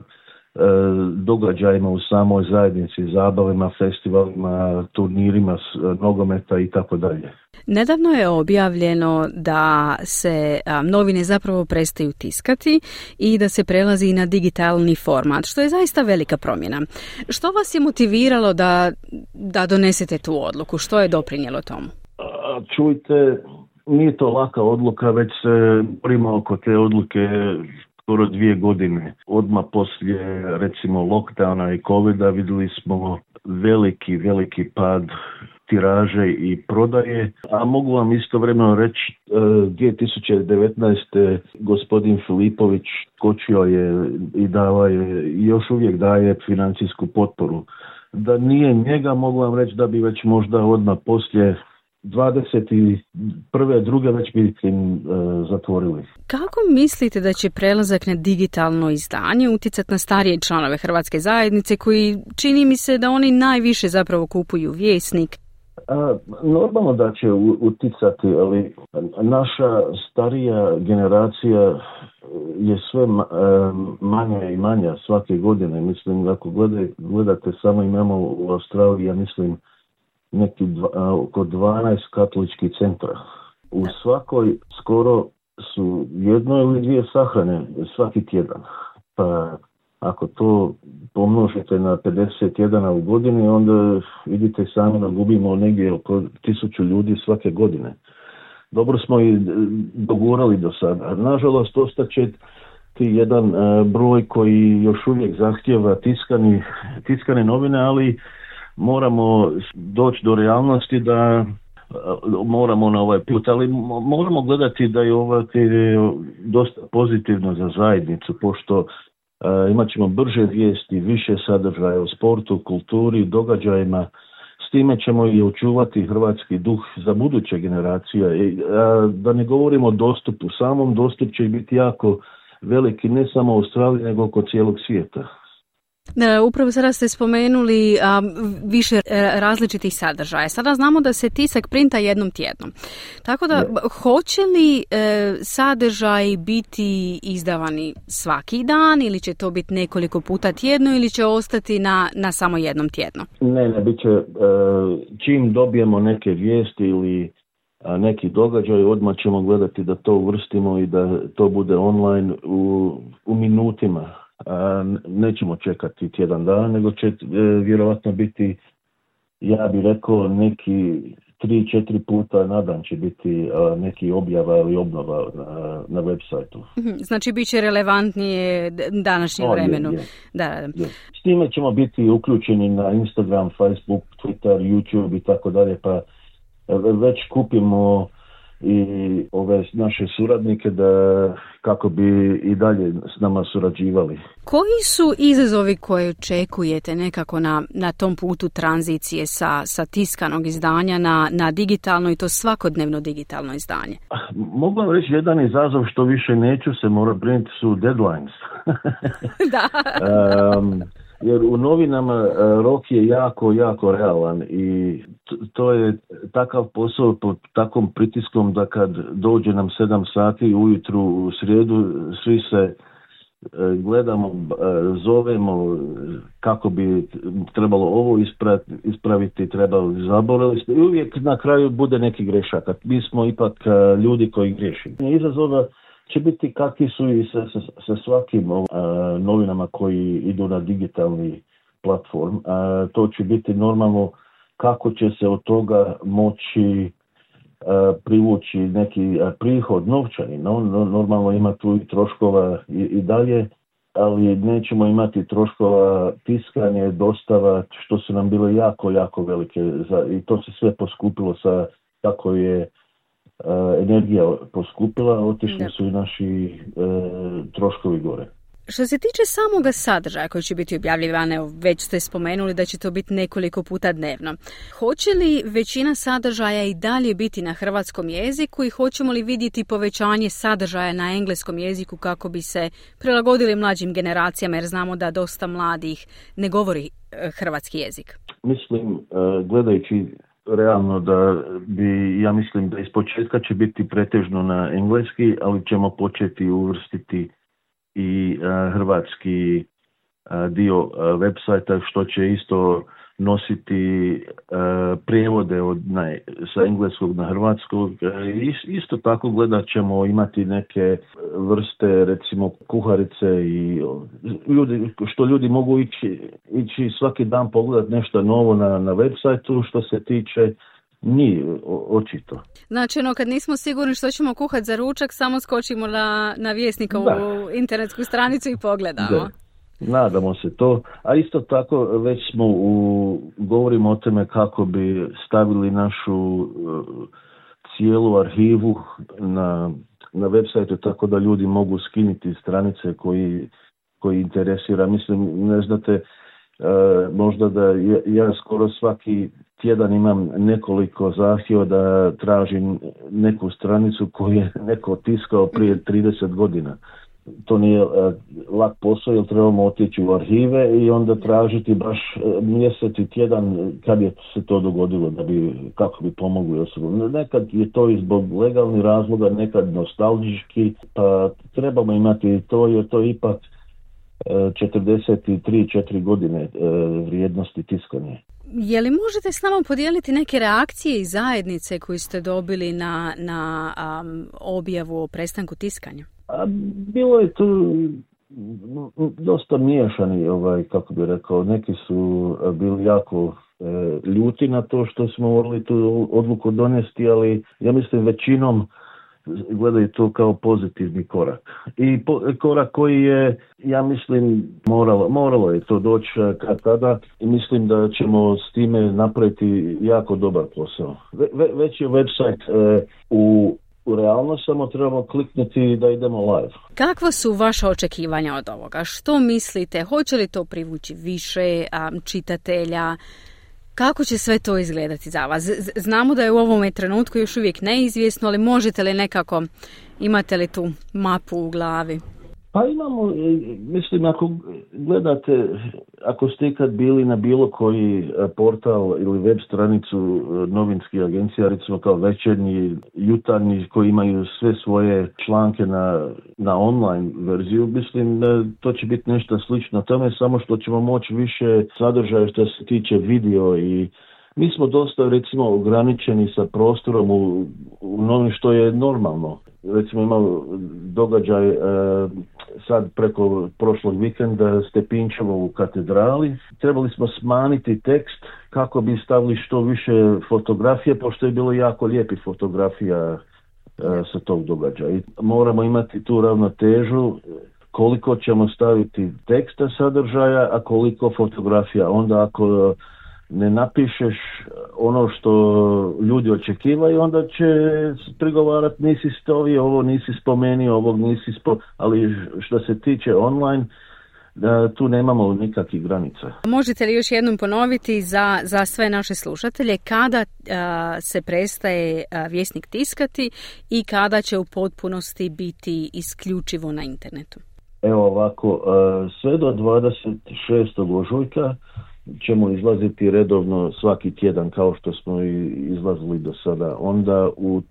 e, događajima u samoj zajednici, zabavima, festivalima, turnirima, nogometa i tako dalje. Nedavno je objavljeno da se a, novine zapravo prestaju tiskati i da se prelazi na digitalni format, što je zaista velika promjena. Što vas je motiviralo da, da donesete tu odluku? Što je doprinijelo tomu? A, čujte, nije to laka odluka, već se borimo oko te odluke skoro dvije godine. Odmah poslije, recimo, lockdowna i covida vidjeli smo veliki, veliki pad tiraže i prodaje, a mogu vam istovremeno reći, dvije tisuće devetnaeste. gospodin Filipović skočio je i dava je, i još uvijek daje financijsku potporu. Da nije njega, mogu vam reći da bi već možda odmah poslije dvadeset prve druge već bi im e, zatvorili. Kako mislite da će prelazak na digitalno izdanje utjecati na starije članove hrvatske zajednice koji, čini mi se da oni najviše zapravo kupuju Vjesnik? A, normalno da će utjecati, ali naša starija generacija je sve manja i manja svake godine. Mislim, ako gledate, gledate samo imamo u Australiji, ja mislim, neki dva, oko dvanaest katoličkih centra. U svakoj skoro su jedno ili dvije sahrane svaki tjedan. Pa ako to pomnožite na pedeset jedan u godini, onda vidite sami da gubimo negdje oko tisuću ljudi svake godine. Dobro smo i dogurali do sada. Nažalost, ostaće ti jedan broj koji još uvijek zahtjeva tiskani, tiskane novine, ali moramo doći do realnosti da moramo na ovaj put, ali moramo gledati da je ovo dosta pozitivno za zajednicu, pošto uh, imat ćemo brže vijesti, više sadržaja o sportu, kulturi, događajima. S time ćemo i očuvati hrvatski duh za buduće generacije. I, uh, da ne govorimo o dostupu, samom dostup će biti jako veliki, ne samo u Australiji, nego oko cijelog svijeta. Upravo sada ste spomenuli a, više različitih sadržaja. Sada znamo da se tisak printa jednom tjednom. Tako da, ne. Hoće li e, sadržaj biti izdavani svaki dan ili će to biti nekoliko puta tjedno ili će ostati na, na samo jednom tjedno? Ne, ne, bit će e, čim dobijemo neke vijesti ili a, neki događaj, odmah ćemo gledati da to uvrstimo i da to bude online u, u minutima. A nećemo čekati tjedan dana, nego će e, vjerojatno biti, ja bih rekao, neki tri, četiri puta na dan će biti a, neki objava ili obnova na, na web sajtu. Znači bit će relevantnije današnjem o, vremenu. Je, je. Da, da. Je. S time ćemo biti uključeni na Instagram, Facebook, Twitter, YouTube i tako dalje, pa već kupimo i ove naše suradnike da kako bi i dalje s nama surađivali. Koji su izazovi koje očekujete nekako na, na tom putu tranzicije sa, sa tiskanog izdanja na, na digitalno i to svakodnevno digitalno izdanje? Mogu vam reći jedan izazov što više neću se mora brinuti su deadlines. Da. um, jer u novinama rok je jako, jako realan i to je takav posao pod takvom pritiskom da kad dođe nam sedam sati ujutru u srijedu, svi se gledamo, zovemo kako bi trebalo ovo ispraviti, trebalo zaboraviti i uvijek na kraju bude neki grešak. Mi smo ipak ljudi koji griješi. Izazova će biti kakvi su i sa, sa, sa svakim uh, novinama koji idu na digitalni platform. Uh, to će biti normalno kako će se od toga moći uh, privući neki uh, prihod novčani. No, no, normalno ima tu i troškova i, i dalje, ali nećemo imati troškova tiskanje, dostava, što su nam bile jako, jako velike. Za, i to se sve poskupilo sa tako je Uh, energija poskupila, otišli su i naši uh, troškovi gore. Što se tiče samoga sadržaja koji će biti objavljivan, već ste spomenuli da će to biti nekoliko puta dnevno. Hoće li većina sadržaja i dalje biti na hrvatskom jeziku i hoćemo li vidjeti povećanje sadržaja na engleskom jeziku kako bi se prilagodili mlađim generacijama, jer znamo da dosta mladih ne govori hrvatski jezik? Mislim, uh, gledajući realno da bi, ja mislim da iz početka će biti pretežno na engleski, ali ćemo početi uvrstiti i uh, hrvatski uh, dio uh, websajta, što će isto nositi uh, prijevode od, na, sa engleskog na hrvatskog. Uh, isto tako gledat ćemo imati neke vrste, recimo kuharice i ljudi, što ljudi mogu ići, ići svaki dan pogledati nešto novo na, na websajtu što se tiče njih, očito. Znači, ono, kad nismo sigurni što ćemo kuhati za ručak, samo skočimo na, na Vjesnikovu internetsku stranicu i pogledamo. Da. Nadamo se to, a isto tako već smo u, govorimo o tome kako bi stavili našu uh, cijelu arhivu na, na websajtu tako da ljudi mogu skinuti stranice koji, koji interesira. Mislim, ne znate, uh, možda da ja, ja skoro svaki tjedan imam nekoliko zahtjeva da tražim neku stranicu koju je neko tiskao prije trideset godina. To nije uh, lak posao jer trebamo otići u arhive i onda tražiti baš uh, mjesec i tjedan kad je se to dogodilo da bi, kako bi pomogli osobu. Nekad je to i zbog legalnih razloga, nekad nostalgički, pa trebamo imati to jer to ipak uh, četrdeset tri četiri godine uh, vrijednosti tiskanja. Je li možete s nama podijeliti neke reakcije i zajednice koje ste dobili na, na um, objavu o prestanku tiskanja? A bilo je tu dosta miješani, ovaj, kako bi rekao, neki su bili jako e, ljuti na to što smo morali tu odluku donesti, ali ja mislim većinom gledaju to kao pozitivni korak. I po, korak koji je, ja mislim, moralo, moralo je to doći kad tada i mislim da ćemo s time napraviti jako dobar posao. Ve, ve, već je website e, u U realno samo trebamo kliknuti da idemo live. Kakva su vaša očekivanja od ovoga? Što mislite? Hoće li to privući više um, čitatelja? Kako će sve to izgledati za vas? Z- znamo da je u ovome trenutku još uvijek neizvjesno, ali možete li nekako, imate li tu mapu u glavi? Pa imamo, mislim, ako gledate, ako ste ikad bili na bilo koji portal ili web stranicu novinskih agencija, recimo kao Večernji, Jutarnji, koji imaju sve svoje članke na, na online verziju, mislim, to će biti nešto slično tome, samo što ćemo moći više sadržaja što se tiče video i mi smo dosta, recimo, ograničeni sa prostorom u, u novim što je normalno. Recimo imamo događaj e, sad preko prošlog vikenda Stepinčevo u katedrali. Trebali smo smanjiti tekst kako bi stavili što više fotografije, pošto je bilo jako lijepi fotografija e, sa tog događaja. I moramo imati tu ravnotežu koliko ćemo staviti teksta sadržaja, a koliko fotografija. Onda ako ne napišeš ono što ljudi očekivaju, onda će prigovarati nisi stovio, ovo nisi spomenio, ovog nisi spo... ali što se tiče online, tu nemamo nikakvih granica. Možete li još jednom ponoviti za, za sve naše slušatelje kada a, se prestaje a, Vjesnik tiskati i kada će u potpunosti biti isključivo na internetu? Evo ovako, sve do dvadeset šestog ožujka ćemo izlaziti redovno svaki tjedan kao što smo i izlazili do sada. Onda u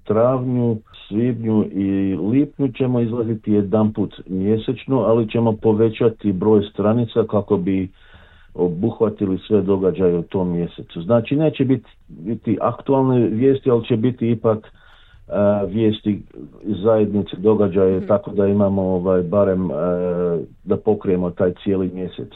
travnju, svibnju i lipnju ćemo izlaziti jedanput mjesečno, ali ćemo povećati broj stranica kako bi obuhvatili sve događaje u tom mjesecu. Znači neće biti, biti aktualne vijesti, ali će biti ipak uh, vijesti zajednice, događaje, mm. tako da imamo ovaj, barem uh, da pokrijemo taj cijeli mjesec.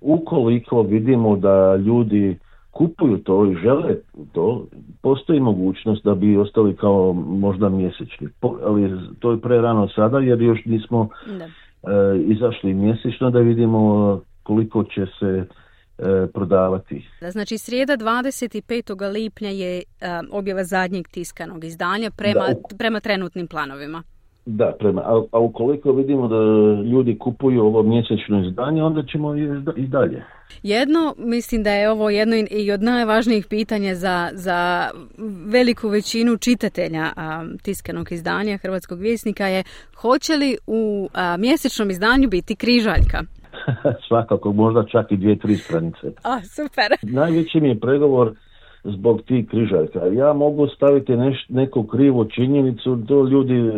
Ukoliko vidimo da ljudi kupuju to i žele to, postoji mogućnost da bi ostali kao možda mjesečni. Po, ali to je prerano sada jer još nismo e, izašli mjesečno da vidimo koliko će se e, prodavati. Znači srijeda dvadeset petog lipnja je e, objava zadnjeg tiskanog izdanja prema, da, prema trenutnim planovima. Da, prema, a, a ukoliko vidimo da ljudi kupuju ovo mjesečno izdanje, onda ćemo i dalje. Jedno, mislim da je ovo jedno i od najvažnijih pitanja za, za veliku većinu čitatelja a, tiskanog izdanja Hrvatskog Vjesnika je hoće li u a, mjesečnom izdanju biti križaljka? Svakako, možda čak i dvije, tri stranice. A, super. Najveći mi je pregovor zbog tih križaljka. Ja mogu staviti neš, neku krivu činjenicu, to ljudi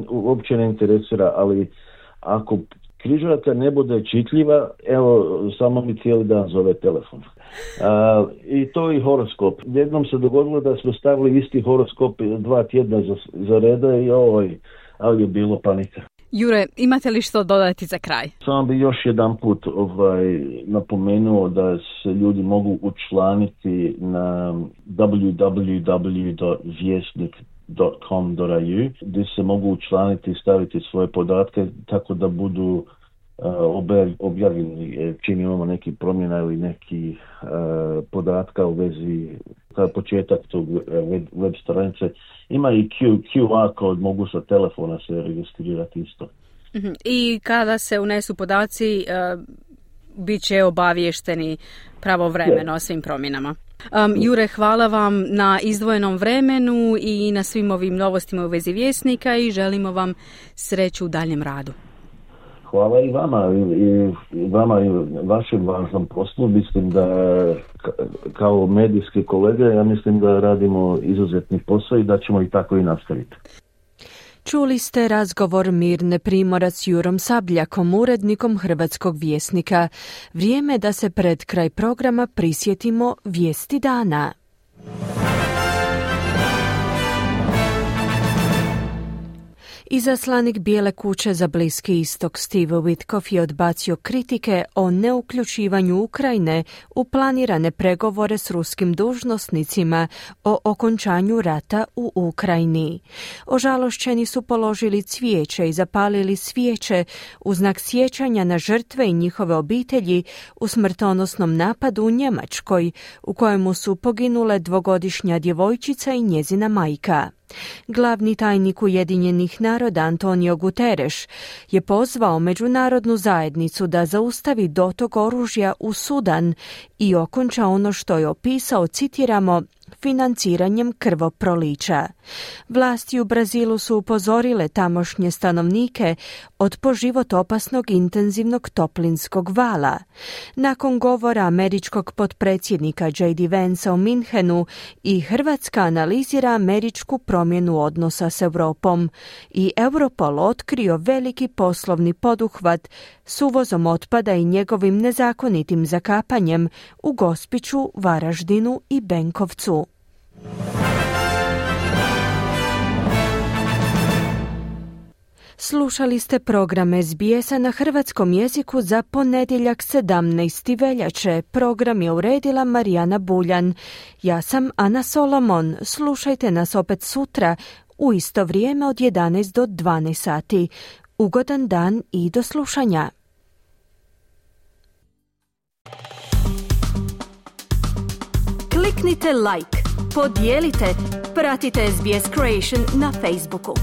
uopće ne interesira, ali ako križaljka ne bude čitljiva, evo, samo mi cijeli dan zove telefon. A, i to i horoskop. Jednom se dogodilo da smo stavili isti horoskop dva tjedna za, za reda i ovaj, ali je bilo panika. Jure, imate li što dodati za kraj? Samo bi još jedan put ovaj, napomenuo da se ljudi mogu učlaniti na w w w dot vjesnik dot com dot a u gdje se mogu učlaniti i staviti svoje podatke tako da budu uh, objavljeni čim imamo neki promjena ili neki uh, podatka u vezi kao početak tog web, web stranice. Ima i Q, Q R kod, mogu sa telefona se registrirati isto. Mm-hmm. I kada se unesu podaci, uh, bit će obavješteni pravovremeno o svim promjenama. Um, Jure, hvala vam na izdvojenom vremenu i na svim ovim novostima u vezi Vjesnika i želimo vam sreću u daljem radu. Hvala i vama i, i vama i vašem važnom poslu. Mislim da kao medijski kolege, ja mislim da radimo izuzetni posao i da ćemo i tako i nastaviti. Čuli ste razgovor Mirne Primorac s Jurom Sabljakom, urednikom Hrvatskog Vjesnika. Vrijeme da se pred kraj programa prisjetimo vijesti dana. Izaslanik Bijele kuće za Bliski istok Steve Witkoff je odbacio kritike o neuključivanju Ukrajine u planirane pregovore s ruskim dužnosnicima o okončanju rata u Ukrajini. Ožalošćeni su položili cvijeće i zapalili svijeće u znak sjećanja na žrtve i njihove obitelji u smrtonosnom napadu u Njemačkoj, u kojemu su poginule dvogodišnja djevojčica i njezina majka. Glavni tajnik Ujedinjenih naroda Antonio Guterres je pozvao međunarodnu zajednicu da zaustavi dotok oružja u Sudan i okonča ono što je opisao, citiramo, financiranjem krvoprolića. Vlasti u Brazilu su upozorile tamošnje stanovnike od po život opasnog intenzivnog toplinskog vala. Nakon govora američkog potpredsjednika J D Vancea u Minhenu i Hrvatska analizira američku promjenu odnosa s Europom i Europol otkrio veliki poslovni poduhvat s uvozom otpada i njegovim nezakonitim zakapanjem u Gospiću, Varaždinu i Benkovcu. Slušali ste program S B S-a na hrvatskom jeziku za ponedjeljak sedamnaestog veljače. Program je uredila Marijana Buljan. Ja sam Ana Solomon. Slušajte nas opet sutra u isto vrijeme od jedanaest do dvanaest sati. Ugodan dan i do slušanja. Kliknite like, podijelite, pratite S B S Creation na Facebooku.